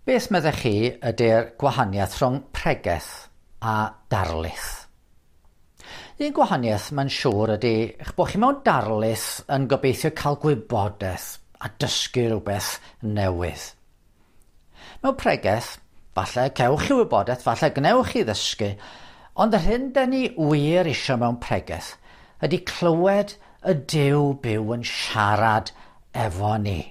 Beth meddech chi ydy'r gwahaniaeth rhwng pregeth a darlith? Un gwahaniaeth mae'n siŵr ydy eich bod chi mewn darlith yn gobeithio cael gwybodaeth a dysgu rhywbeth newydd. Mewn pregeth, falle cewch chi wybodaeth, falle gwnewch chi ddysgu, ond yr hyn 'den ni wir isio mewn pregeth ydy clywed y Duw byw yn siarad efo ni.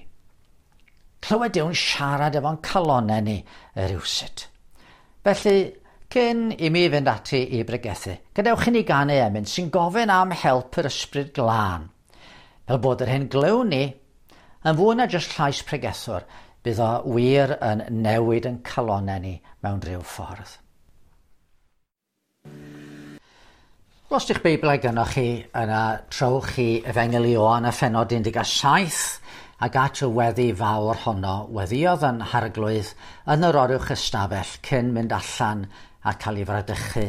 Clywed Duw'n siarad efo'n calonnau ni rywsut. Felly, cyn i mi fynd ati i bregethu, gadewch i ni ganu emyn sy'n gofyn am help yr Ysbryd Glân. Fel bod yr hyn glywn ni yn fwy na jyst llais pregethwr, bydd o wir yn newid yn calonnau ni mewn rhyw ffordd. Os ydych Beiblau gynnwch chi, yna trowch chi Efengyl Ioan a phenod 17 ac at y weddi fawr honno weddïodd yn Harglwydd yn yr oruwch ystafell cyn mynd allan a cael ei fradychu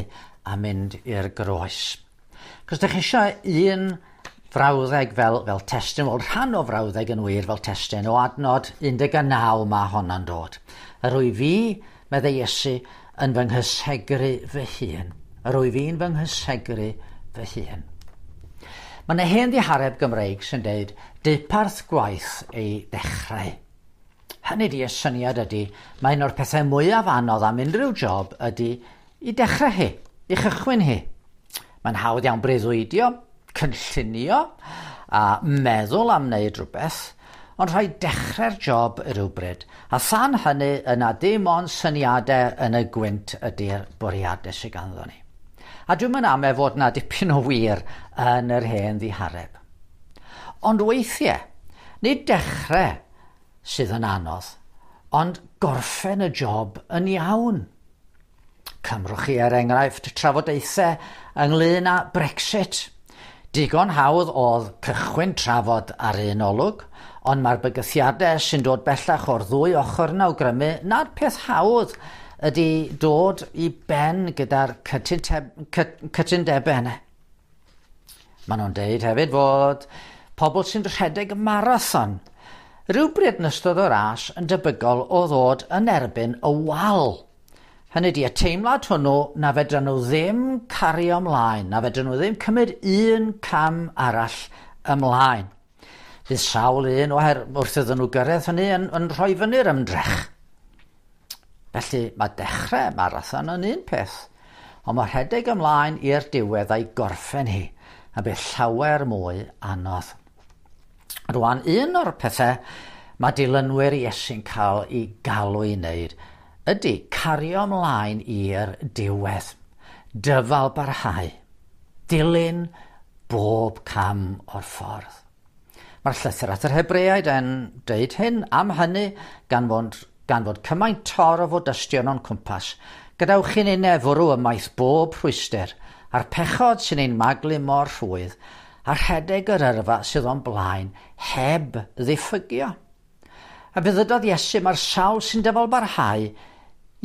a mynd i'r groes. Cos ydych chi eisiau un frawddeg fel, fel testun, wel rhan o frawddeg yn wir fel testun, o adnod 19 mae honna'n dod. Yr wyf fi, meddai Iesu, yn fy nghysegru fy hun. Yr wyf fi'n fy nghysegru fy hun. Mae yna hen ddihareb Gymreig sy'n deud deuparth gwaith ei ddechrau. Hynny di, y syniad ydy, mae un o'r pethau mwyaf anodd am unrhyw job ydy i dechrau hi, i chychwyn hi. Mae'n hawdd iawn breuddwydio, cynllunio a meddwl am wneud rhywbeth, ond rhaid dechrau'r job rhywbryd, a than hynny yna dim ond syniadau yn y gwynt ydy'r bwriadau sydd ganddo ni. A dwi'm yn ame fod na dipyn o wir yn yr hen ddihareb. Ond weithiau, nid dechrau sydd yn anodd, ond gorffen y job yn iawn. Cymrwch chi er enghraifft trafodaethau ynglyn â Brexit. Digon hawdd oedd cychwyn trafod ar un olwg, ond mae'r bygythiadau sy'n dod bellach o'r ddwy ochr yn awgrymu nad peth hawdd ydy dod i ben gyda'r cytundebau yna. Maen nhw'n deud hefyd fod pobl sy'n rhedeg marathon rhywbryd yn ystod y ras yn debygol o ddod yn erbyn y wal. Hynny ydi, y teimlad hwnnw na fedran nhw ddim cario ymlaen, na fedran nhw ddim cymryd un cam arall ymlaen. Bydd sawl un oher, wrth iddyn nhw gyrraedd hynny yn, yn rhoi fyny'r ymdrech. Felly mae dechrau marathon yn un peth, ond mae rhedeg ymlaen i'r diwedd a'i gorffen hi yn beth llawer mwy anodd. Rwan, un o'r pethau mae dilynwyr Iesu'n cael ei galw i wneud ydy cario ymlaen i'r diwedd, dyfal barhau, dilyn bob cam o'r ffordd. Mae'r llythyr at yr Hebreaid yn deud hyn am hynny gan fod, gan fod cymaint tor o fodystion o'n cwmpas. Gadewch i ni fwrw ymaith bob rhwyster a'r pechod sy'n ein maglu mor rhwydd a rhedeg yr yrfa sydd o'n blaen heb ddiffygio. A fe ddydodd Iesu mae'r sawl sy'n dyfal barhau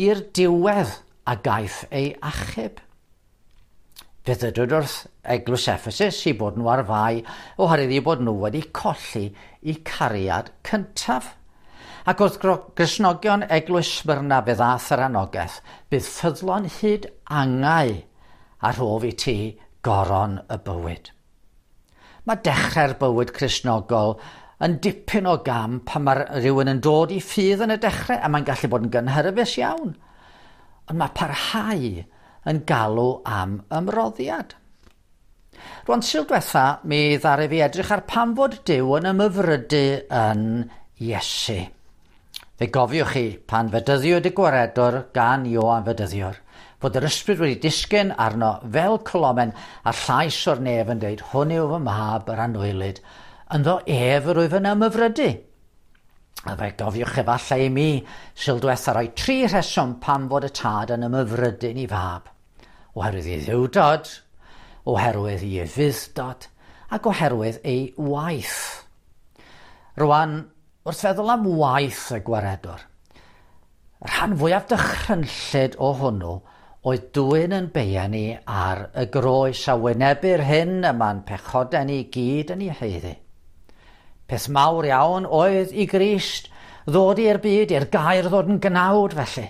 i'r diwedd a gaiff ei achub. Fe ddydwyd wrth Eglwys Ephesus i bod nhw ar fai oherwydd eu bod nhw wedi colli eu cariad cyntaf. Ac wrth Gristnogion Eglwys Smyrna fe ddaeth yr anogaeth, bydd ffyddlon hyd angau a rhof i ti goron y bywyd. Mae dechrau'r bywyd Cristnogol yn dipyn o gam pan mae rhywun yn dod i ffydd yn y dechrau a mae'n gallu bod yn gynhyrfus iawn. Ond mae parhau yn galw am ymroddiad. Rwan, Sul diwetha, mi ddaru fi edrych ar pam fod Duw yn ymhyfrydu yn Iesu. Fe gofiwch chi pan fedyddiwyd y Gwaredwr gan Ioan Fedyddiwr, fod yr ysbryd wedi disgyn arno fel colomen a llais o'r nef yn dweud, hwn yw fy mab yr anwylyd, ynddo ef yr wyf yn ymhyfrydu. A fe gofiwch efallai i mi, Sul diwetha roi tri rheswm pam fod y tad yn ymhyfrydu'n ei fab. Oherwydd ei dduwdod, oherwydd ei ufudd-dod, ac oherwydd ei waith. Rwan, Wrth feddwl am waith y Gwaredwr, y rhan fwyaf dychrynllyd o hwnnw oedd dwyn yn beia ni ar y groes a wynebu'r hyn y mae'n pechodau ni gyd yn ei haeddu. Peth mawr iawn oedd i Grist ddod i'r byd, i'r gair ddod yn gnawd felly.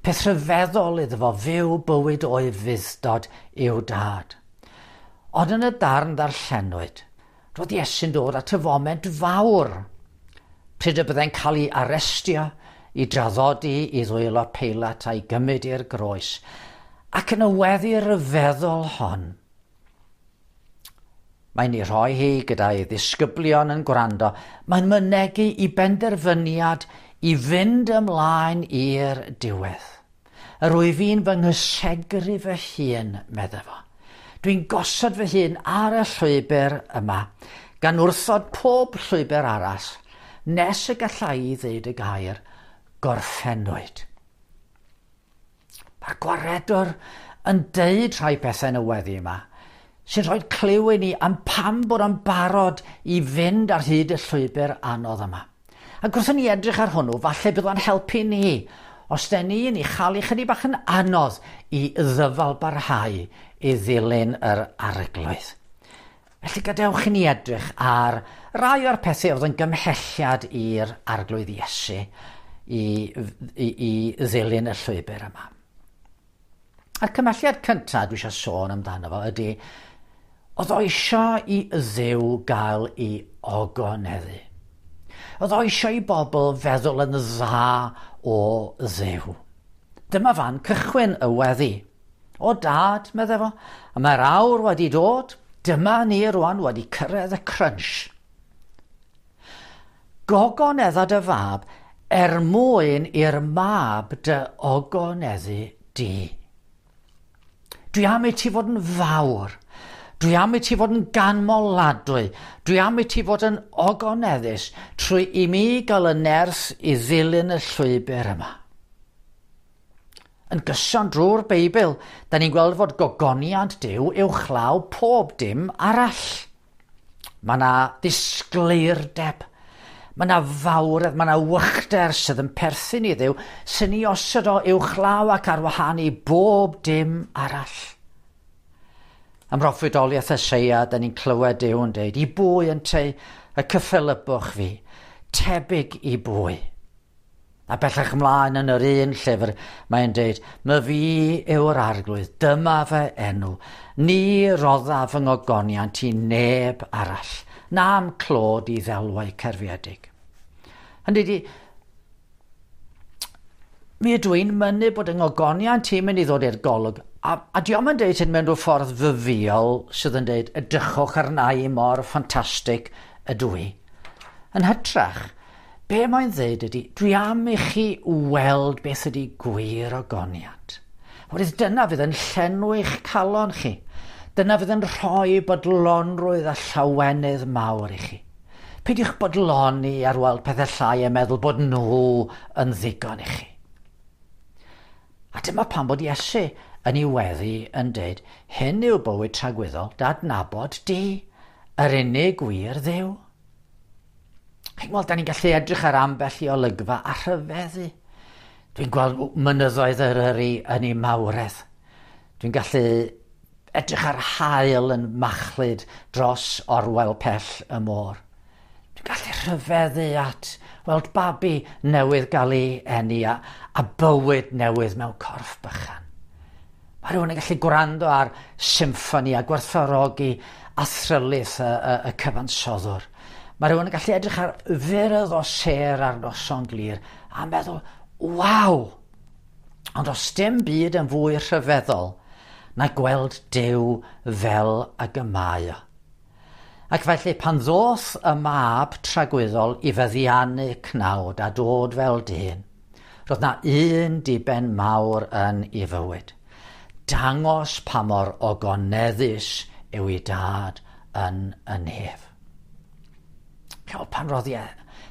Peth rhyfeddol iddo fo fyw bywyd o'i fuddod i'w dad. Ond yn y darn ddarllenwyd, roedd Iesu'n dod at y foment fawr, pryd y byddai'n cael ei arestio, i draddodi i ddwylo Peilat a'i gymryd i'r groes. Ac yn y weddi ryfeddol hon, mae'n ei rhoi hi gyda'i ddisgyblion yn gwrando. Mae'n mynegi i benderfyniad i fynd ymlaen i'r diwedd. Yr wyf fi'n fy nghysegru fy hun, medde fo. Dwi'n gosod fy hun ar y llwybr yma, gan wrthod pob llwybr arall, nes y gallai i ddeud y gair gorffennwyd. Mae'r gwaredwr yn deud rhai pethau yn y weddi yma, sy'n rhoi clyw i ni am pam bod o'n barod i fynd ar hyd y llwybr anodd yma. Ac wrth i ni edrych ar hwnnw, falle bydd o'n helpu ni, os den ni'n ei chael i chydig bach yn anodd i ddyfal barhau i ddilyn yr arglwydd. Felly gadewch i ni edrych ar rai o'r pethau oedd yn gymhelliad i'r arglwydd Iesu i, i, i ddilyn y llwybr yma. A'r cymhelliad cyntaf dwi eisiau sôn amdano fo ydy, oedd o eisiau i Dduw gael ei ogoneddu. Oedd o eisiau i bobl feddwl yn dda o Dduw. Dyma fan cychwyn y weddi. O dad, medde fo, a mae'r awr wedi dod, dyma ni rwan wedi cyrraedd y crunch. Gogonedda dy fab er mwyn i'r mab dy ogoneddu di. Dwi am i ti fod yn fawr. Dwi am i ti fod yn ganmoladwy. Dwi am i ti fod yn ogoneddus trwy i mi gael y nerth i ddilyn y llwybr yma. Yn gyson drwy'r Beibl, da ni'n gweld fod gogoniant Duw uwchlaw pob dim arall. Mae yna ddisgleirdeb, mae yna fawredd, mae yna wychder sydd yn perthyn i Dduw sy'n ei osod o uwchlaw ac ar wahân i bob dim arall. Ym mhroffwydoliaeth Eseia, da ni'n clywed Duw yn deud, i bwy ynteu y cyffelybwch fi, tebyg i bwy. A bellach ymlaen yn yr un llyfr, mae'n deud, my fi yw'r arglwydd, dyma fy enw, ni roddaf fy ngogoniant i neb arall, na'm clod i ddelwau cerfiedig. Hynny ydi, mi ydw i'n mynnu bod yng ngogoniant i'n mynd i ddod i'r golwg, a, a diolch yn deud hyn mewn rhyw ffordd fyfiol sydd yn deud, edrychwch arna i mor ffantastig ydw i. Yn hytrach, be mae'n ddeud ydy, dwi am i chi weld beth ydy gwir ogoniant. Oherwydd dyna fydd yn llenwi'ch calon chi. Dyna fydd yn rhoi bodlonrwydd a llawenydd mawr i chi. Peidiwch bodloni ar weld pethau llai a meddwl bod nhw yn ddigon i chi. A dyma pam bod Iesu yn ei weddi yn deud, hyn yw bywyd tragwyddol, dadnabod di, yr unig gwir Dduw. Chi'n gweld, da ni'n gallu edrych ar ambell i olygfa a rhyfeddu. Dwi'n gweld mynyddoedd Eryri yn ei mawredd. Dwi'n gallu edrych ar haul yn machlud dros orwel pell y môr. Dwi'n gallu rhyfeddu at weld babi newydd gael ei eni a, a bywyd newydd mewn corff bychan. Mae rhywun yn gallu gwrando ar symffoni a gwerthfawrogi athrylith y, y, y cyfansoddwr. Mae rhywun yn gallu edrych ar fyrdd o sêr ar noson glir a meddwl, waw! Ond os dim byd yn fwy rhyfeddol na gweld Duw fel ag y mae o. Ac felly pan ddoth y mab tragwyddol i feddiannu cnawd a dod fel dyn, roedd na un diben mawr yn ei fywyd. Dangos pa mor ogoneddus yw ei dad yn y nef. Pan roddi e,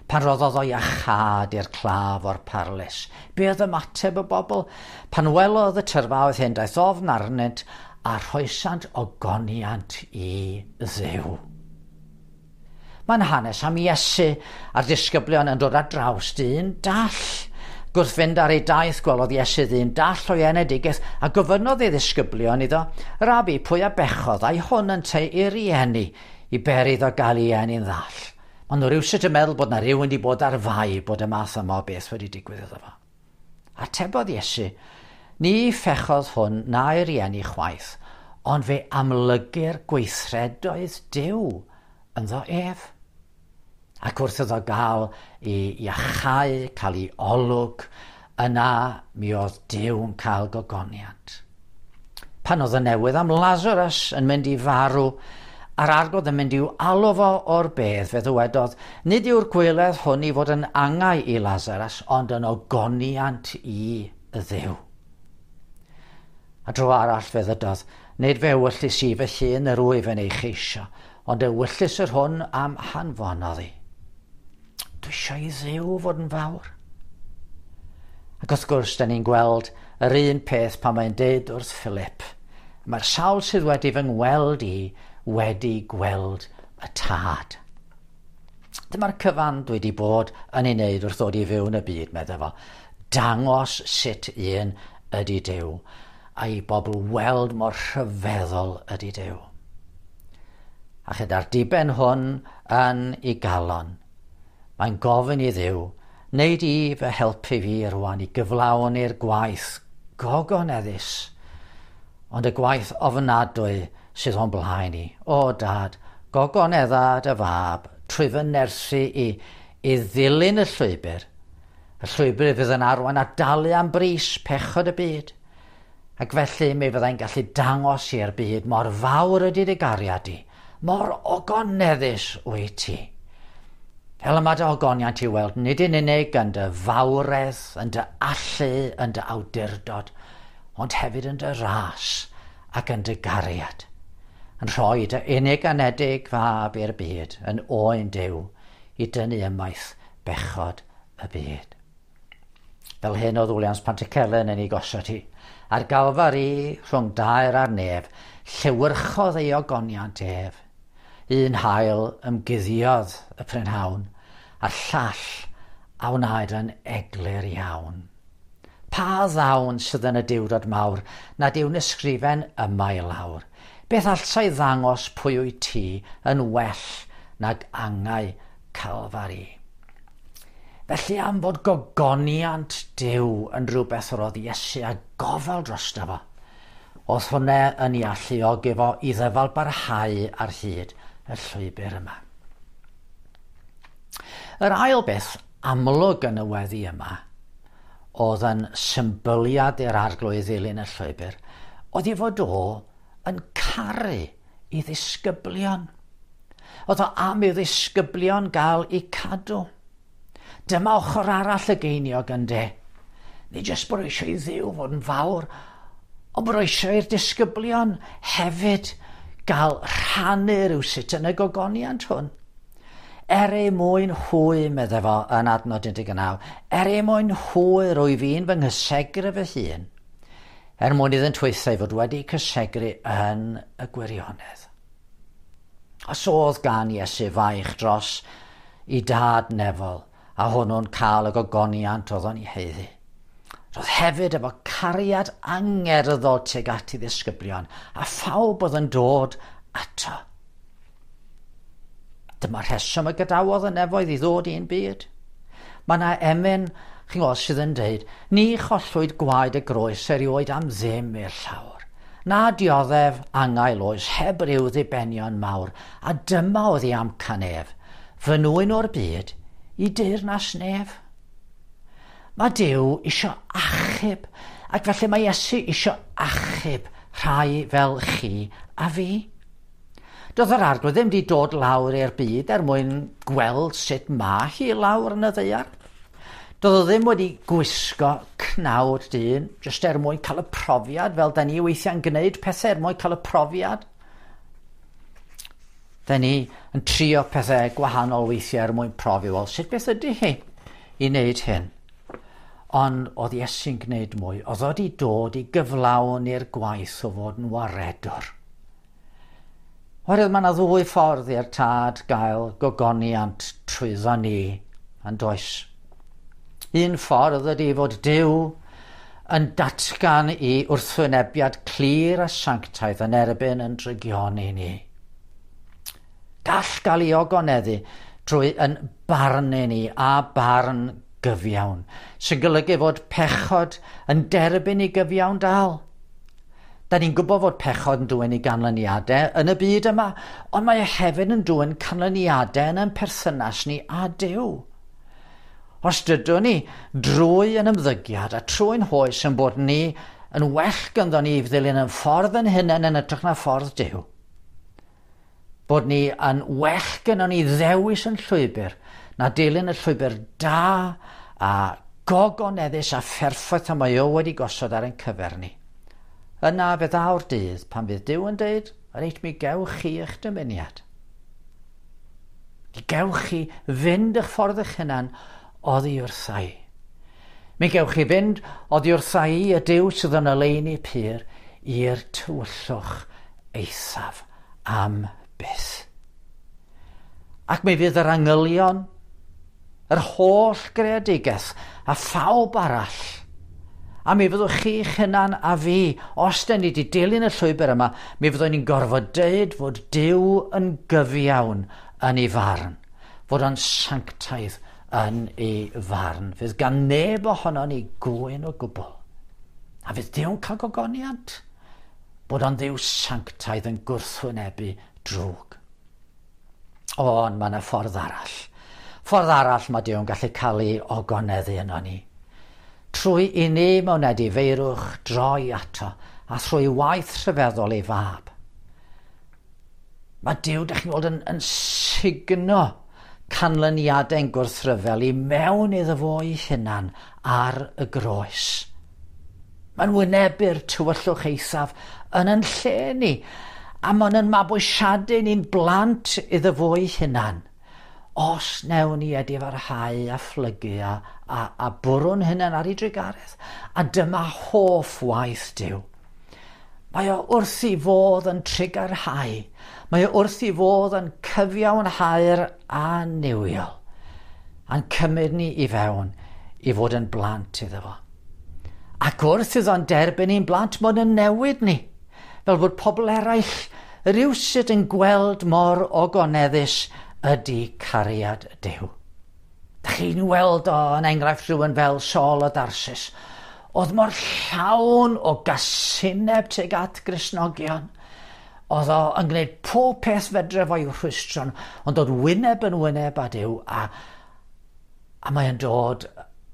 pan roddodd o iachâd i'r claf o'r parlys, be oedd ymateb y bobl? Pan welodd y tyrfaoedd hyn, daeth ofn arnynt a rhoesant ogoniant i Dduw. Mae'n hanes am Iesu a'r disgyblion yn dod ar draws dyn dall. Gwrth fynd ar ei daith, gwelodd Iesu ddyn dall o'i enedigaeth a gofynnodd ei ddisgyblion iddo, Rabi, pwy a bechodd a'i hwn ynteu ei rieni i beri iddo gael ei eni'n ddall? Ond nhw rhywsut yn meddwl bod na rhywun wedi bod ar fai bod y math yma o beth wedi digwydd iddo fo. Atebodd Iesu, ni phechodd hwn na'i rieni chwaith, ond fe amlygir gweithredoedd Duw ynddo ef. Ac wrth iddo gael ei iachau, cael ei olwg, yna mi oedd Duw'n cael gogoniant. Pan oedd y newydd am Lazarus yn mynd i farw, a'r Arglwydd yn mynd i'w alw fo o'r bedd, fe ddywedodd, nid yw'r gweledd hwn i fod yn angau i Lazarus, ond yn ogoniant i y Dduw. A dro arall fe ddydodd, nid fe ewyllys i fy hun yr wyf yn ei cheisio, ond ewyllys yr hwn am hanfonodd i. Dwi eisiau i Dduw fod yn fawr. Ac wrth gwrs, da ni'n gweld yr un peth pan mae'n deud wrth Philip, mae'r sawl sydd wedi fy ngweld i wedi gweld y Tad. Dyma'r cyfan dwi wedi bod yn ei wneud wrth ddod i fyw yn y byd, meddai fo. Dangos sut un ydy Duw, a i bobl weld mor rhyfeddol ydy Duw. A chyda'r diben hwn yn ei galon, mae'n gofyn i Dduw, wneud i fy helpu fi rwan i gyflawni'r gwaith gogoneddus, ond y gwaith ofnadwy sydd o'n blaen i. O Dad, gogonedda dy fab trwy fy nerthu i i ddilyn y llwybr fydd yn arwain a dalu am bris pechod y byd. Ac felly mi fyddai'n gallu dangos i'r byd mor fawr ydy dy gariad di, mor ogoneddus wyt ti. Fel yma dy ogoniant i weld, nid yn unig yn dy fawredd, yn dy allu, yn dy awdurdod, ond hefyd yn dy ras ac yn dy gariad. Yn rhoi dy unig anedig fab i'r byd yn oen Duw i dynnu ymaith bechod y byd. Fel hyn oedd Williams Pantycelyn yn ei gosod hi. Ar Galfari rhwng dair a'r nef, llewyrchodd ei ogoniant ef. Un haul ymguddiodd y prynhawn, a'r llall a wnaed yn eglur iawn. Pa ddawn sydd yn y diwrnod mawr nad yw'n ysgrifen yma i lawr? Beth allai ddangos pwy wyt ti yn well nag angau Calfari? Felly am fod gogoniant Duw yn rhywbeth yr oedd Iesu a gofal drosto fo, oedd hwnna yn ei alluogi fo i ddyfal barhau ar hyd y llwybr yma. Yr ail beth amlwg yn y weddi yma oedd yn symbyliad i'r Arglwydd ddilyn y llwybr, oedd ei fod o yn caru i ddisgyblion. Oedd o am i ddisgyblion gael eu cadw. Dyma ochr arall y geiniog ynde. Nid jyst bod eisiau i Dduw fod yn fawr, ond bod eisiau i'r disgyblion hefyd gael rhannu rhywsut yn y gogoniant hwn. Er ei mwyn hwy, meddai fo yn adnod 19, er ei mwyn hwy rwy fi'n fy nghysegru fy hun, er mwyn iddynt hwythau fod wedi cysegru yn y gwirionedd. Os oedd gan Iesu faich dros i dad nefol, a hwnnw'n cael y gogoniant oedd o'n ei haeddu. Roedd hefyd efo cariad angerddol tuag at ei ddisgyblion, a phawb oedd yn dod ato. Dyma'r rheswm y gadawodd y nefoedd i ddod i'n byd. Mae yna emyn, chi'n gweld, sydd yn dweud, ni chollwyd gwaed y groes erioed am ddim i'r llawr. Na dioddef angau oes heb ryw ddibenion mawr, a dyma oedd ei amcan ef, fy nwyn o'r byd i deyrnas nef. Mae Duw isio achub, ac felly mae Iesu isio achub rhai fel chi a fi. Doedd yr Arglwydd ddim wedi dod lawr i'r byd er mwyn gweld sut mae hi lawr yn y ddaear. Doedd o ddim wedi gwisgo cnawd dyn, jyst er mwyn cael y profiad, fel da ni weithiau'n gwneud pethau er mwyn cael y profiad. Da ni yn trio pethau gwahanol weithiau er mwyn profi, wel, sut beth ydy hi i wneud hyn? Ond oedd Iesu'n gwneud mwy, oedd o wedi dod i gyflawni'r gwaith o fod yn waredwr. Oherwydd mae yna ddwy ffordd i'r tad gael gogoniant trwyddo ni, yn does. Un ffordd ydy fod Duw yn datgan i wrthwynebiad clir a sanctaidd yn erbyn yn drygioni ni. Gall gael ei ogoneddu trwy yn barnu ni a barn gyfiawn, sy'n golygu fod pechod yn derbyn ei gyfiawn dal. Da ni'n gwybod fod pechod yn dwyn i ganlyniadau yn y byd yma, ond mae e hefyd yn dwyn canlyniadau yn ein perthynas ni â Duw. Os dydw ni drwy yn ymddygiad a trwy'n hoes yn bod ni yn well ganddo ni ddilyn yn ffordd yn hunain yn hytrach na ffordd Duw, bod ni yn well gynnon ni ddewis yn llwybr na dilyn y llwybr da a gogoneddus a pherffaith y mae o wedi gosod ar ein cyfer ni. Yna fe ddaw'r dydd pan fydd Duw yn deud, reit, mi gewch chi eich dymuniad. Mi gewch chi fynd eich ffordd eich hunan oddi wrtha i. Mi gewch chi fynd oddi wrtha i, y Duw sydd yn oleuni pur, i'r tywyllwch eithaf am byth. Ac mi fydd yr angylion, yr holl greadigaeth a phawb arall, a mi fyddwch chi'ch hunan a fi, os dyn ni wedi dilyn y llwybr yma, mi fyddwn ni'n gorfod deud fod Duw yn gyfiawn yn ei farn, fod o'n sanctaidd yn ei farn. Fydd gan neb ohono ni gŵyn o gwbl. A fydd Duw'n cael gogoniant bod o'n Dduw sanctaidd yn gwrthwynebu drwg. Ond mae yna ffordd arall. Ffordd arall mae Duw'n gallu cael ei ogoneddu yno ni. Trwy i ni mewn edifeirwch droi ato a thrwy waith rhyfeddol ei fab. Mae Duw, dych chi'n gweld, yn sugno canlyniadau'n gwrthryfel i mewn iddo fo ei hunan ar y groes. Mae'n wynebu'r tywyllwch eithaf yn yn lle ni, a mae'n yn mabwysiadu ni'n blant iddo fo ei hunan. Os newn ni edifarhau a phlygu a bwrw'n hunan ar ei drugaredd, a dyma hoff waith Duw. Mae o wrth ei fodd yn trugarhau. Mae o wrth ei fodd yn cyfiawnhau'r annuwiol, a'n cymryd ni i fewn i fod yn blant iddo fo. Ac wrth iddo'n derbyn ni'n blant, mae'n yn newid ni, fel bod pobl eraill rywsut yn gweld mor ogoneddus ydy cariad Duw. Dach chi'n weld o yn enghraifft rhywun fel Saul o Darsus, oedd mor llawn o gasineb tuag at Gristnogion. Oedd o yn gwneud pob peth fedre fo i'w rhwystro, ond dod wyneb yn wyneb â Duw, a mae'n dod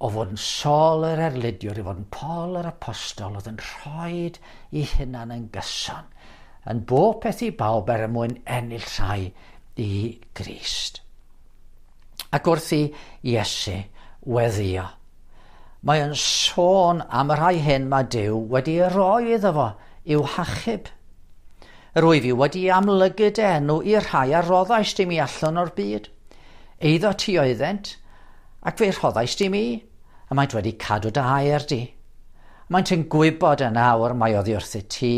o fod yn Saul yr erlidiwr i fod yn Paul yr apostol, oedd yn rhoid i hunan yn gyson, yn bob peth i bawb er mwyn ennill rhai i Grist. Ac wrth i Iesu weddio, mae yn sôn am y rhai hyn mae Duw wedi roi iddo fo i'w hachub. Yr wyf i wedi amlygu dy enw i'r rhai a roddaist i mi allan o'r byd. Eiddo ti oeddent, ac fe rhoddaist i mi, a maent wedi cadw dy air di. Maent yn gwybod yn awr mai oddi wrthyt ti,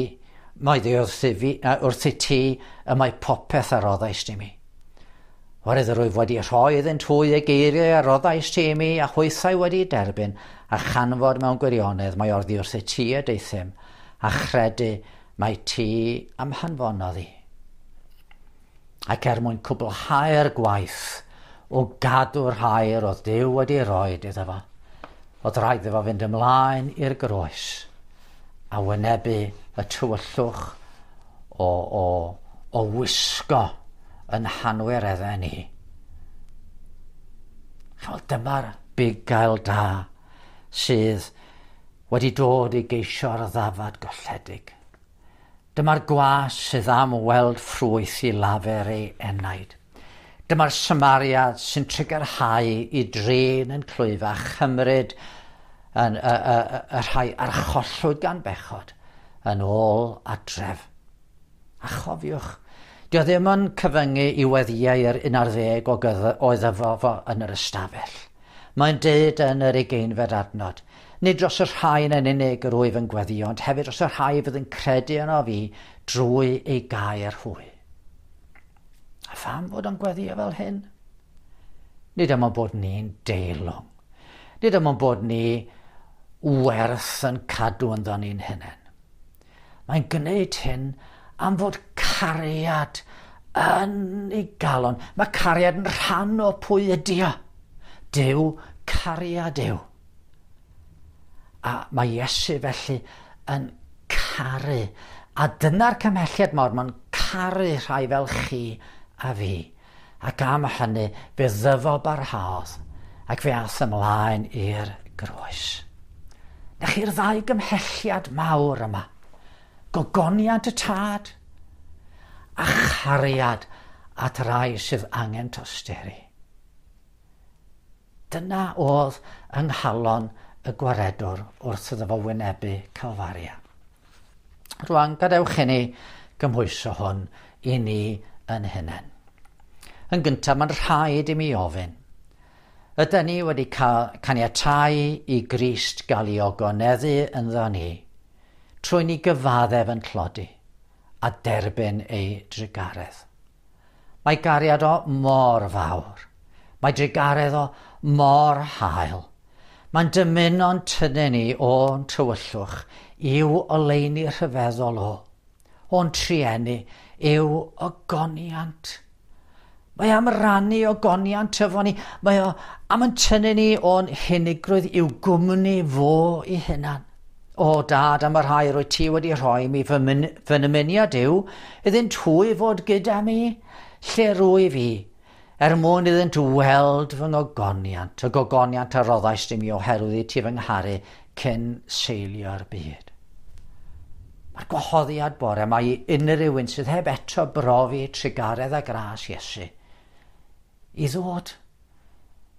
mai oddi wrthyt ti y mae popeth a roddaist i mi. Oherwydd yr wyf wedi rhoi iddynt hwy y geiriau a roddaist ti i mi, a hwythau wedi derbyn, a chanfod mewn gwirionedd mai oddi wrthyt ti y deuthum, a chredu mai ti am hanfonodd i. Ac er mwyn cwblhau'r gwaith o gadw'r hair oedd Duw wedi rhoi iddo fo, oedd rhaid iddo fo fynd ymlaen i'r groes a wynebu y tywyllwch o wisgo yn hanwireddau ni. Chimod, dyma'r bugail da sydd wedi dod i geisio'r ddafad golledig. Dyma'r gwas sydd am weld ffrwyth i lafer ei enaid. Dyma'r Samariad sy'n trugarhau i drin yn clwyf a chymryd yn y rhai archollwyd gan bechod yn ôl adref. A chofiwch, dio ddim yn cyfyngu i weddiau yr 11 o oedd efo fo yn yr ystafell. Mae'n deud yn yr 20fed adnod, nid dros y rhain yn unig yr wyf yn gweddio, ond hefyd dros y rhai fydd yn credu yno fi drwy ei gair hwy. A pham fod o'n gweddio fel hyn? Nid am bod ni'n deilwng. Nid am bod ni werth yn cadw ynddo ni'n hunain. Mae'n gwneud hyn am fod cariad yn ei galon. Mae cariad yn rhan o pwy ydy o. Duw, cariad yw. A mae Iesu felly yn caru. A dyna'r cymhelliad mawr, mae'n caru rhai fel chi a fi. Ac am hynny, fe ddyfo barhaodd ac fe ath ymlaen i'r groes. Na chi'r ddau gymhelliad mawr yma. Gogoniant y Tad a chariad at rai sydd angen tosturi. Dyna oedd yng nghalon y gwaredwr wrth iddo fo wynebu Calfaria. Rwan, gadewch i ni gymhwyso hwn i ni yn hunain. Yn gyntaf, mae'n rhaid i mi ofyn. Ydy ni wedi caniatáu i Grist gael ei ogoneddu ynddo ni, trwy ni gyfaddef yn tlodi a derbyn ei drugaredd. Mae gariad o mor fawr. Mae drugaredd o mor hael. Mae'n dymuno'n tynnu ni o'n tywyllwch i'w oleuni rhyfeddol o. O'n trueni i'w ogoniant. Mae am rannu ogoniant efo ni. Mae o am yn tynnu ni o'n hunigrwydd i'w gwmni fo i hunan. O Dad, am y rhai rwy ti wedi rhoi mi fy nymuniad yw iddynt hwy fod gyda mi, lle rwyf fi, er mwyn iddynt weld fy ngogoniant, y gogoniant a roddaist i mi oherwydd i ti fy ngharu cyn seilio'r byd. Mae'r gwahoddiad bore mae i unrhyw un sydd heb eto brofi trugaredd a gras Iesu i ddod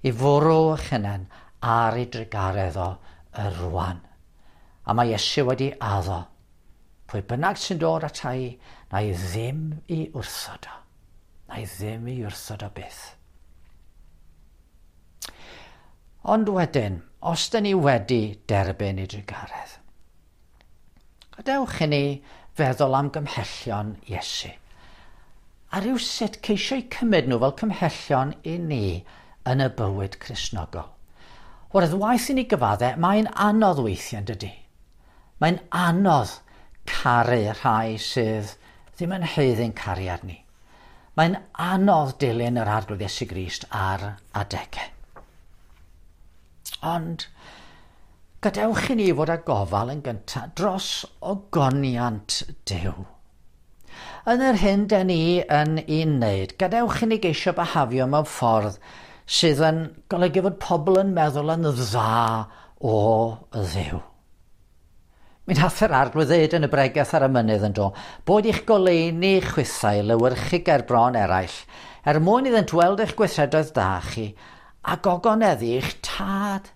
i fwrw eich hunain ar ei drugaredd o y rwan. A mae Iesu wedi addo, pwy bynnag sy'n dod ata i, na i ddim i wrthod o. Na i ddim i wrthod o byth. Ond wedyn, os dyn ni wedi derbyn ei drugaredd, gadewch i ni feddwl am gymhellion Iesu. A rhywsut ceisio eu cymryd nhw fel cymhellion i ni yn y bywyd Cristnogol. Wrth waith i ni gyfadde, mae'n anodd weithiau, yn dydy? Mae'n anodd caru rhai sydd ddim yn haeddu'n cariad ni. Mae'n anodd dilyn yr Arglwydd Iesu Grist ar adegau. Ond gadewch i ni fod â gofal yn gyntaf dros ogoniant Duw. Yn yr hyn den ni yn ei wneud, gadewch i ni geisio byhafio mewn ffordd sydd yn golygu fod pobl yn meddwl yn dda o Dduw. Mi nath yr Arglwydd ddeud yn y bregeth ar y mynydd yn do, bod i'ch goleuni chwithau lewyrchu ger bron eraill, er mwyn iddynt weld eich gweithredoedd da chi, a gogoneddu eich tad,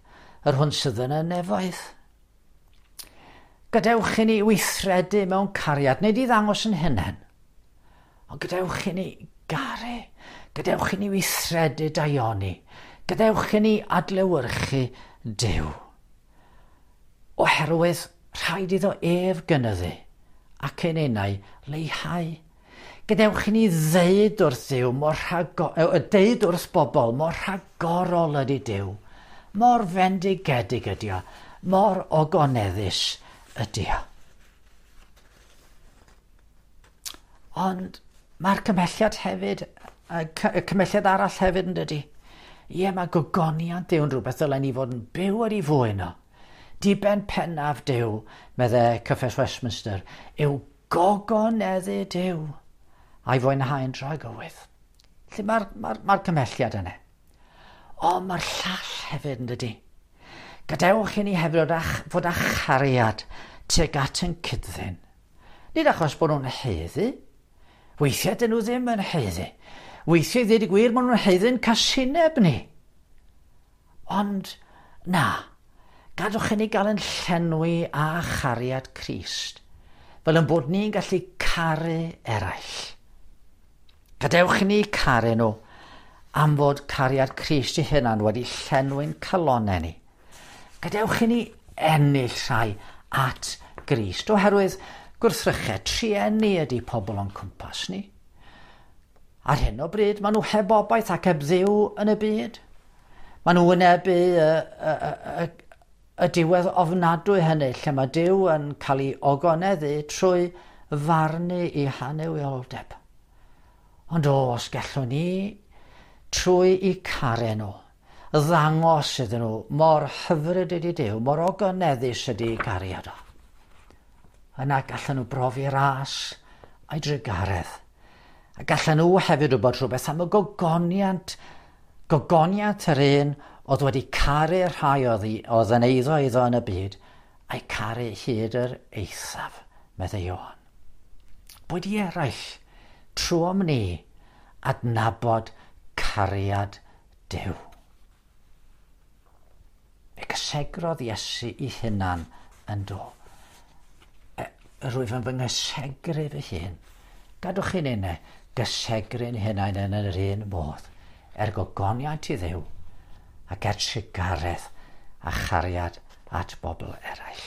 yr hwn sydd yn y nefoedd. Gadewch i ni weithredu mewn cariad, nid i ddangos yn hunain, ond gadewch i ni garu, gadewch i ni weithredu daioni, gadewch i ni adlewyrchu Duw. Oherwydd rhaid iddo ef gynyddu ac ein enau leihau. Gadewch i ni ddeud wrth Dduw mor deud wrth bobl mor rhagorol ydy Duw, mor fendigedig ydy o, mor ogoneddus ydy o. Ond mae'r cymhelliad hefyd, y cymhelliad arall hefyd yn dydy. Ie, mae gogoniant Duw yn rhywbeth ddylen ni fod yn byw ar ei fwyn o. Diben pennaf Duw, meddai Cyffes Westminster, yw gogoneddu Duw a'i fwynhau'n dragywydd. Felly mae'r cymhelliad yna. Ond mae'r llall hefyd yn dydy. Gadewch i ni hefyd fod â chariad tuag at yn cyd-ddyn. Nid achos bod nhw'n haeddu. Weithiau dyn nhw ddim yn haeddu. Weithiau, ddweud y gwir, maen nhw'n haeddu'n casineb ni. Ond na, gadwch i ni gael yn llenwi â chariad Crist, fel yn bod ni'n gallu caru eraill. Gadewch i ni caru nhw am fod cariad Crist ei hunan wedi llenwi'n calonnau ni. Gadewch i ni ennill rhai at Grist, oherwydd gwrthrychau trueni ydy pobl o'n cwmpas ni. Ar hyn o bryd, maen nhw heb obaith ac heb Dduw yn y byd. Maen nhw wynebu y diwedd ofnadwy hynny, lle mae Duw yn cael ei ogoneddu trwy farnu i hanuwioldeb. Ond o, os gallwn ni, trwy i caru nhw, ddangos iddyn nhw mor hyfryd ydy Duw, mor ogoneddus ydy cariad o. Yna gallan nhw brofi ras a'i drugaredd. A gallan nhw hefyd wybod rhywbeth am y gogoniant, gogoniant yr un oedd wedi caru'r rhai oedd, oedd yn eiddo iddo yn y byd, a'i caru hyd yr eithaf, meddai Ioan. Boed i eraill, trwom ni, adnabod cariad Duw. Fe gysegrodd Iesu i hunan yn do. E, rwyf yn fy nghysegru fy hun. Gadwch chi'n unne gysegru'n hunain yn yr un modd, er gogoniant i Dduw ac er trugaredd a chariad at bobl eraill.